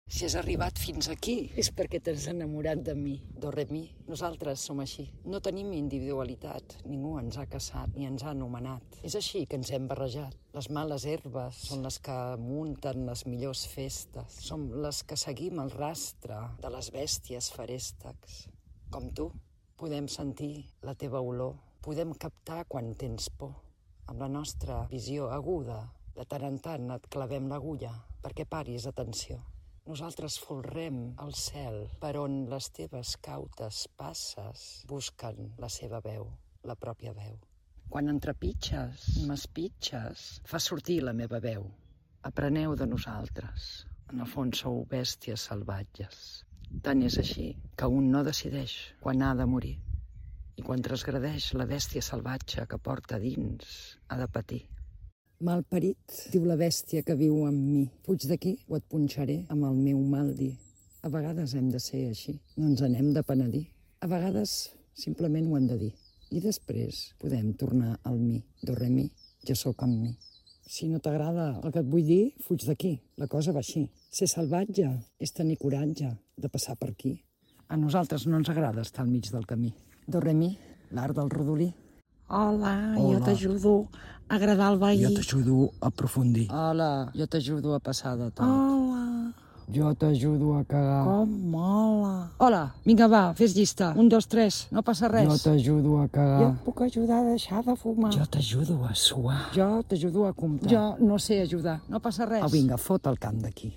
Si has arribat fins aquí és perquè t'has enamorat de mi, do re mi. Nosaltres som així. No tenim individualitat. Ningú ens ha caçat ni ens ha anomenat. És així que ens hem barrejat. Les males herbes són les que munten les millors festes. Som les que seguim el rastre de les bèsties feréstecs. Com tu, podem sentir la teva olor. Podem captar quan tens por. Amb la nostra visió aguda, de tant en tant et clavem l'agulla perquè paris atenció. Nosaltres folrem el cel per on les teves cautes passes busquen la seva veu, la pròpia veu. Quan entrepitges, m'espitges, fa sortir la meva veu. Apreneu de nosaltres. En el fons sou bèsties salvatges. Tant és així que un no decideix quan ha de morir. I quan transgredeix la bèstia salvatge que porta dins, ha de patir. Malparit, diu la bèstia que viu amb mi. Fuig d'aquí o et punxaré amb el meu mal dir. A vegades hem de ser així, no ens n'hem de penedir. A vegades simplement ho hem de dir. I després podem tornar al mi, do re mi, jo sóc amb mi. Si no t'agrada el que et vull dir, fuig d'aquí. La cosa va així. Ser salvatge és tenir coratge de passar per aquí. A nosaltres no ens agrada estar al mig del camí. Do re mi, l'art del rodolí. Hola, jo t'ajudo a agradar el veí. Jo t'ajudo a aprofundir. Hola, jo t'ajudo a passar de tot. Hola, Jo t'ajudo a cagar. com mola. Hola, vinga va, fes llista. 1, 2, 3, no passa res. Jo t'ajudo a Jo cagar. et puc ajudar a deixar de fumar. Jo t'ajudo a suar. Jo t'ajudo a comptar. Jo no sé ajudar, no passa res. Au, vinga, fot el camp d'aquí.